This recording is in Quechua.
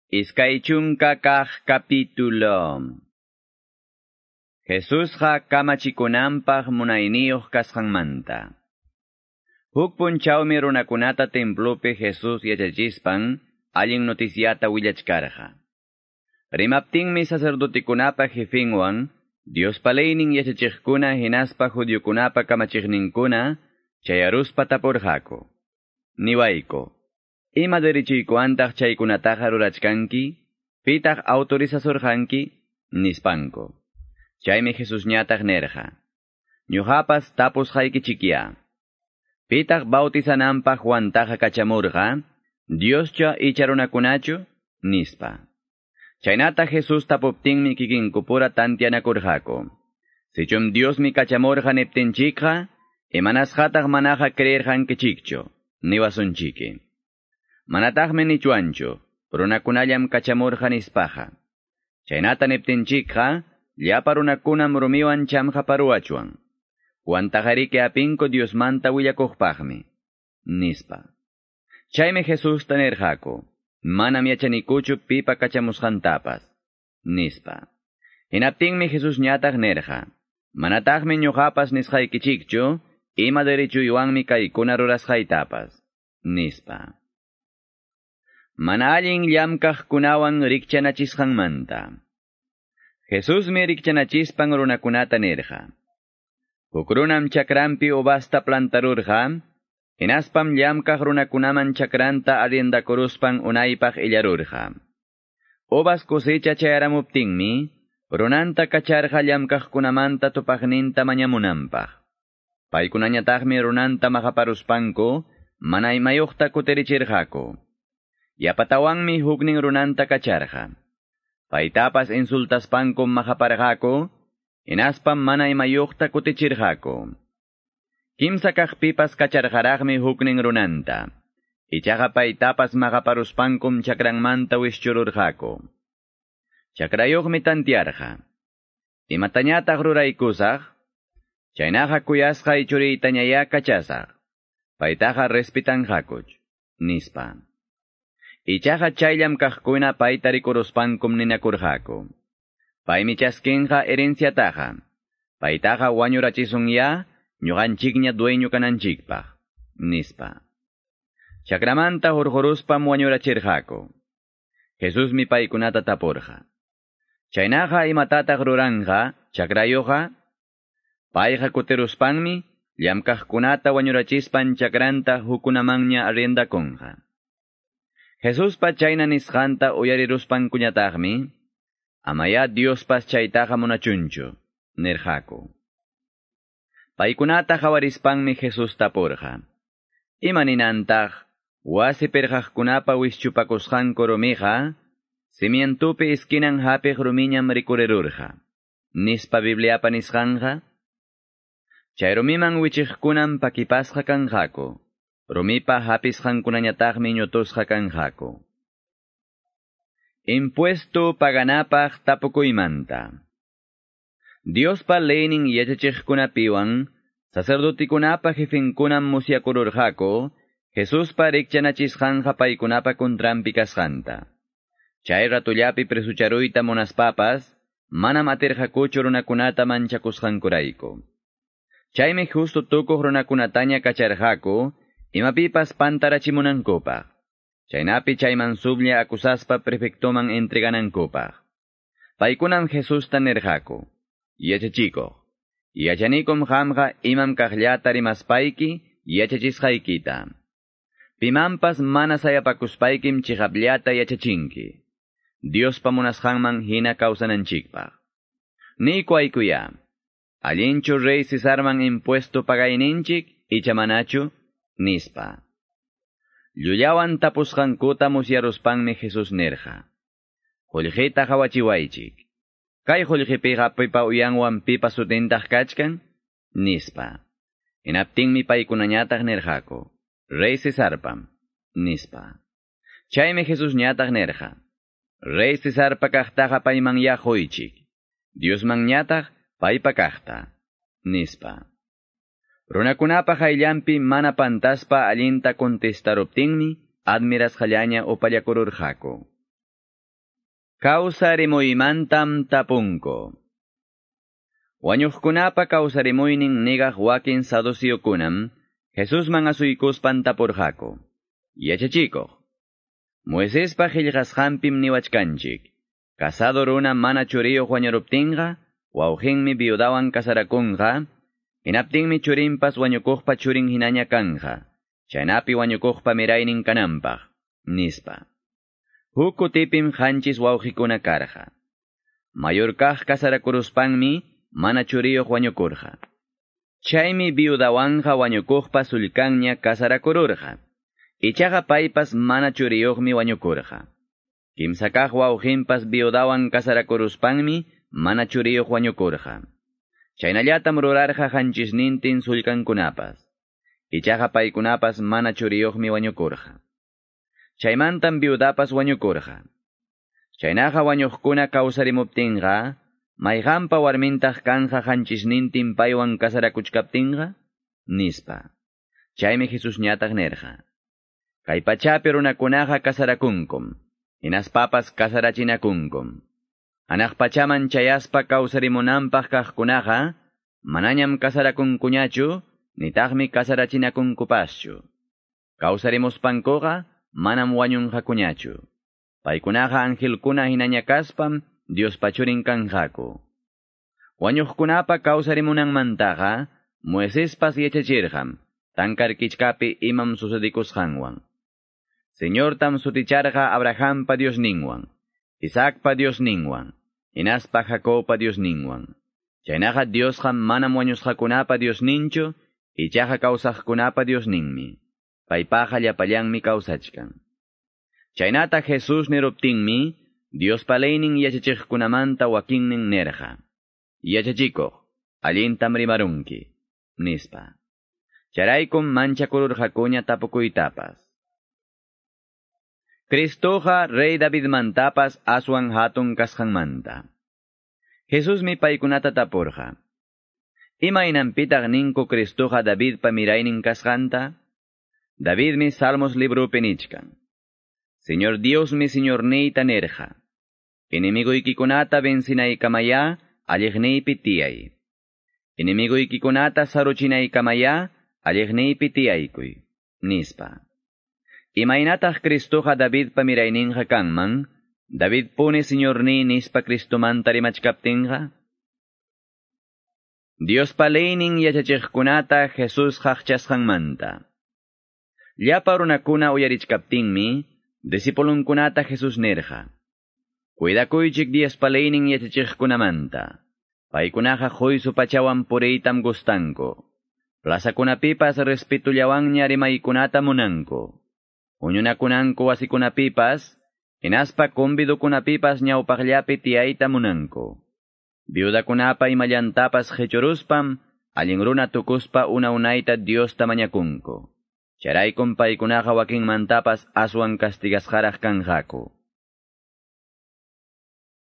20 kaq capítulo. Jesusqa kamachikunanpaq munayniyuq kasqanmanta. Huk punchawmi runakunata templopi Jesús yachachispan allin noticiata willachkarqa. Rimaptinmi sacerdotikunapa jefinwan, Diospa leynin yachachiqkuna hinaspa judiokunapa kamachiqninkuna chayaruspa tapurqaku. Niwayku, ima derechuykuwantaq chaykunataqa rurachkanki? Pitaq autorizasurqanki? Nispanku. Chaymi Jesusñataq nerqa: Ñuqapas tapusqaykichikya. Pitaq bautizananpaq Juantaqa kachamurqa? Dioschu icha runakunachu? Nispa. Chaynata Jesús tapuptinmi kikinkupura tantianakurqaku. Sichum Diosmi kachamurqa niptinchikqa, imanasqataq manaqa creerqankichikchu, niwasunchiki. Manataqmi nichwanchu, runakunallam kachamurqa nispaqa. Chaynata niptinchikqa, llapa runakunam rumiwan chamqaparuwachwan. Juantaqariki apinku Diosmanta willakuqpaqmi, nispa. Chaymi Jesusta nirqaku: Manam yachanikuchu pipa kachamusqantapas, nispa. Hinaptinmi Jesusñataq nirqa: Manataqmi ñuqapas nisqaykichikchu, ima derechuywanmi kaykuna rurasqaytapas, nispa. Mana allin llamkaqkunawan rikchanachisqanmanta. Jesusmi rikchanachispan runakunata nirqa: Huk runam chakranpi uvasta plantarurqa, hinaspam llamkaq runakunaman chakranta arriendakuruspan unaypaq illarurqa. Uvas cosecha chayaramuptinmi, runanta kacharqa llamkaqkunamanta tupaqninta mañamunanpaq. Paykunañataqmi runanta maqaparuspanku, mana imayuqta kutirichirqaku. Yapatawanmi huknin runanta kacharqa. Paytapas insultaspankum maqaparqaku, hinaspam mana imayuqta kutichirqaku. Kimsa kaqpipas kacharqaraqmi huknin runanta. Ichaqa paytapas maqaparuspankum chakranmanta wischururqaku. Chakrayuqmi tantiarqa: Imatañataq ruraykusaq? Chaynaqa kuyasqay churiytañayá kachasaq. Paytaqa respitanqakuch, nispa. Ichaqa chay llamkaqkuna payta rikuruspankum ninakurqaku: Paymi chaskinqa herenciataqa. Paytaqa wañurachisunya, ñuqanchikña dueño kananchikpaq, nispa. Chakramanta hurquruspam wañurachirqaku. Jesusmi paykunata tapurqa: Chaynaqa imatataq ruranqa chakrayuqqa? Payqa kutiruspanmi llamkaqkunata wañurachispan chakranta hukkunamanña arriendakunqa. Jesuspa chayna nisqanta uyariruspankuñataqmi, amayá Diospas chaytaqa munachunchu, nirqaku. Paykunata qawarispanmi Jesús tapurqa: Ima ninantaq wasi pirqaqkunapa wischupakusqanku rumiqa, cimientupi esquinan hapiq rumiñam rikurirurqa, nispa Bibliapa nisqanqa? Chay rumiman wichiqkunam pakipasqa kanqaku, rumipa hapisqankunañataqmi ñutusqa kanqaku. Impuesto paganapaq tapukuymanta. Diospa leynin yachachiqkunapiwan, sacerdotikunapa jefinkunam musyakururqaku, Jesuspa rikchanachisqanqa paykunapa contranpi kasqanta. Chay ratullapi presucharuyta munaspapas, manam atirqakuchu runakunata manchakusqankurayku. Chaymi justo tukuq runakunataña kacharqaku, imapipas pantarachimunankupaq. Chaynapi chay mansublla acusaspa prefectoman entreganankupaq. Paykunam Jesusta nirqaku: Yachachikuq, yachanikum qamqa imam kaqllata rimaspayki yachachisqaykita. Pimanpas mana sayapakuspaykim chiqapllata yachachinki, Diospa munasqanman hina kawsananchikpaq. Niykuaykuya, allinchu rey Cesarman impuesto pagayninchik icha manachu? Nispa. Llullawan tapusqankuta musyaruspanmi Jesús nirqa: Qullqita qawachiwaychik. Kay qullqipiqa pipa uyanwan pipa sutintaq kachkan? Nispa. Hinaptinmi paykunañataq nirqaku: Rey Cesarpam, nispa. Chaymi Jesusñataq nirqa: Rey Cesarpa kaqtaqa paymanyá quychik, Diosmanñataq paypa kaqta, nispa. Runakunapa qayllanpi mana pantaspa allinta contestaruptinmi admirasqallaña upallakururqaku. Kawsarimuymantam tapunku. Wañuqkunapa kawsarimuynin nigaq wakin saduceokunam Jesusman asuykuspan tapurqaku. Yachachikuq. Moisespa qillqasqanpim niwachkanchik. Casado runa mana churiyuq wañuruptinqa, wawqinmi viudawan casarakunqa, hinaptinmi churinpas wañukuqpa churin hinaña kanja, chaynapi wañukuqpa miraynin kananpaq, nispa. Huk kutipim qanchis wawqikuna karqa. Mayor kaq casarakuruspanmi mana churiyuq wañukurqa. Chaymi viudawanqa wañukuqpa sullkanña casarakururqa. Ichaqa paypas mana churiyuqmi wañukurqa. Kimsa kaq wawqinpas viudawan casarakuruspanmi mana churiyuq wañukurqa. Chaynallatam rurarqa qanchisnintin sullkankunapas. Ichaqa paykunapas mana churiyuqmi wañukurqa. Chaymantam viudapas wañukurqa. Chaynaqa wañuqkuna kawsarimuptinqa, mayqanpa warmintaq kanja qanchisnintin paywan casarakuchkaptinqa? Nispa. Chaymi Jesusñataq nirqa. Kay pachapi runakunaqa casarakunkum, hinaspapas casarachinakunkum. Hanaq pachaman chayaspa kawsarimunanpaq kaqkunaqa, manañam casarakunkuñachu, nitaqmi casarachinakunkupaschu. Kawsarimuspankuqa, manam wañunqakuñachu. Paykunaqa angelkuna hinaña kaspam Diospa churin kanqaku. Wañuqkunapa kawsarimunanmantaqa, Moisespas yachachirqam, tankar kichkapi imam sucedikusqanwan. Señortam suticharqa Abrahampa Diosninwan, Isaacpa Diosninwan, hinaspa Jacobpa Diosninwan. Chaynaqa Diosqa manam wañusqakunapa Diosninchu, ichaqa kawsaqkunapa Diosninmi. Paypaqa llapallanmi kawsachkan. Chaynata Jesús niruptinmi, Diospa leynin yachachiqkunamanta wakinnin nirqa. Yachachikuq, allintam rimarunki, nispa. Chayraykum manchakururqakuña tapukuytapas. Cristoqa rey Davidmantapas aswan hatun kasqanmanta. Jesusmi paykunata tapurqa. Imaynanpitaq ninku Cristoqa Davidpa miraynin kasqanta? Davidmi Salmos librupi nichkan. Señor Diosmi Señorniyta nirqa. Enemiguykikunata vencinaykamaya alliqniypi tiyay. Enemiguykikunata saruchinaykamaya alliqniypi tiyaykuy, nispa. Imaynataq Cristoqa Davidpa mirayninqa kanman, David puni Señorniy nispa Cristomanta rimachkaptinqa? Diospa leynin yachachiqkunata Jesús qaqchasqanmanta. Llapa runakuna uyarichkaptinmi, discipulunkunata Jesús nirqa. Cuidakuychik Diospa leynin yachachiqkunamanta. Paykunaqa quysu pachawan puriytam gustanku. Plazakunapipas respetullawanña rimaykunata munanku. Huñunakunanku wasikunapipas, hinaspa convidukunapipas ñawpaqllapi tiyayta munanku. Viudakunapa imallantapas qichuruspam, allin runa tukuspa una unayta Diosta mañakunku. Chayraykum paykunaqa wakinmantapas aswan castigasqaraq kanqaku.